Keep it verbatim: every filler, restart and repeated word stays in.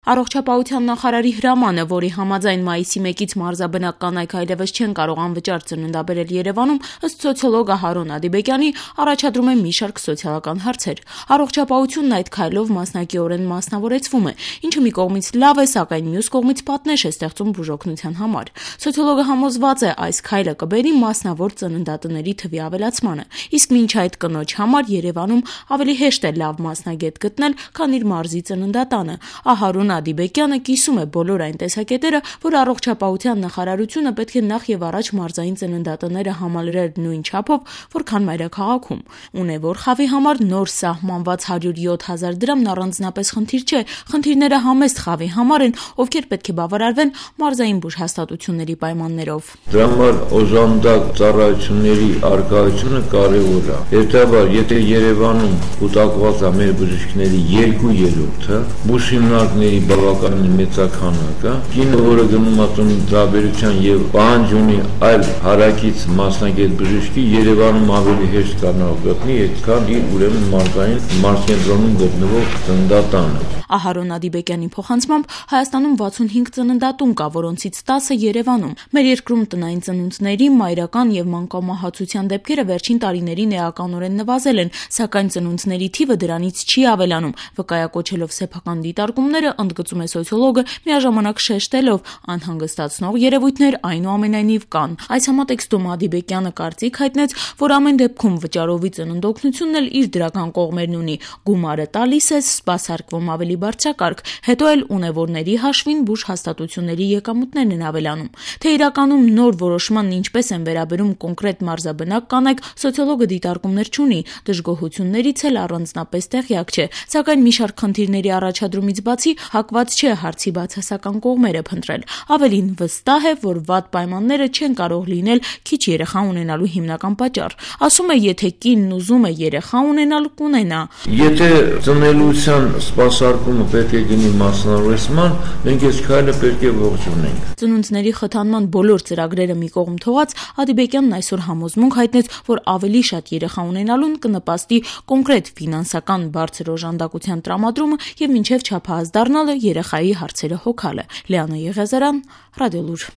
Առողջապահության նախարարի հրամանը, որի համաձայն մայիսի մեկից մարզաբնակ կանայք այլևս չեն կարող անվճար ծննդաբերել Երևանում, ըստ սոցիոլոգ Հարոն Ադիբեկյանի, առաջադրում է մի շարք սոցիալական հարցեր։ Առողջապահությունն այդ քայլով մասնակիորեն մասնավորեցվում է, ինչը մի կողմից լավ է, սակայն մյուս կողմից պատնեշ է ստեղծում բուժօգնության համար։ Սոցիոլոգը համոզված է, այս քայլը կբերի մասնավոր ծննդատների թվի ավելացմանը, իսկ մինչ այդ կնոջ համար Երևանում ավելի հեշտ է լավ մասնագետ գտնել, քան իր մարզի ծննդատանը։ Հարոն Ադիբեկյանը կիսում է բոլոր այն տեսակետերը, որ առողջապահության նախարարությունը պետք է նախ եւ առաջ մարզային ծննդատները համալրեր նույն չափով, որքան մայրաքաղաքում։ Ունևոր խավի համար նոր սահմանված հարյուր յոթ հազար դրամն առանձնապես խնդիր չէ, խնդիրները համեստ խավի համար են, ովքեր պետք է բավարարվեն մարզային բուժհաստատությունների պայմաններով։ Դրա համար օժանդակ ծառայությունների առկայությունը կարևոր է։ Հետևաբար, եթե Երևանում կուտակված է մեր բժիշկների երկու երրորդը, բուժ հիմնարկների բավականին մեծաքանակ է, կինը, որը գնում է ծննդաբերության եւ պահանջ ունի այլ հարակից մասնագետ բժշկի, Երևանում ավելի հեշտ կարող գտնի, այդքան իր ուրեմն մարզային մարզկենտրոնում գտնվող ծննդատանը։ Հարոն Ադիբեկյանի փոխանցմամբ Հայաստանում վաթսունհինգ ծննդատուն կա, որոնցից տասը Երևանում։ Մեր երկրում տնային ծնունդների, մայրական եւ մանկամահացության դեպքերը վերջին տարիներին էականորեն նվազել են, սակայն ծնունդների թիվը դրանից չի ավելանում, վկայակոչելով սեփական դիտարկումները, ընդգծում է սոցիոլոգը, միաժամանակ շեշտելով, անհանգստացնող երևույթներ այնուամենայնիվ կան։ Այս համատեքստում Ադիբեկյանը կարծիք հայտնեց, որ ամեն դեպքում վճարովի ծննդօգնությունն էլ իր դրական կողմերն ունի։ Գումարը տալիս է, սպասարկվում ավելի բարձրակարգ, հետո էլ ունևորների հաշվին բուժհաստատությունների եկամուտներն են ավելանում։ Թե իրականում նոր որոշմանն ինչպես են վերաբերում կոնկրետ մարզաբնակ կանայք, սոցիոլոգը դիտարկումներ չունի, դժգոհություններից էլ առանձնապես տեղյակ չէ, սակայն մի շարք խնդիրների առաջադրումից բացի հակված չէ հարցի բացասական կողմերը փնտրել։ Ավելին, վստահ է, որ վատ պայմանները չեն կարող լինել քիչ երեխա ունենալու հիմնական պատճառ։ Ասում է, եթե կինն ուզում է երեխա ունենալ, կունենա։ Եթե ծնելիության սպասարկումը պետք է գնի մասնավորեցման, մենք այս քայլը պետք է ողջունենք։ Ծնունդների խթանման բոլոր ծրագրերը մի կողմ թողած, Ադիբեկյանն այսօր համոզմունք հայտնեց, որ ավելի շատ երեխա ունենալուն կնպաստի կոնկրետ ֆինանսական բարձր օժանդակության տրամադրումը եւ մինչեւ չափահաս դառնալը երեխայի հարցերը հոգալը։ Լիանա Եղիազարյան, Ռադիոլուր։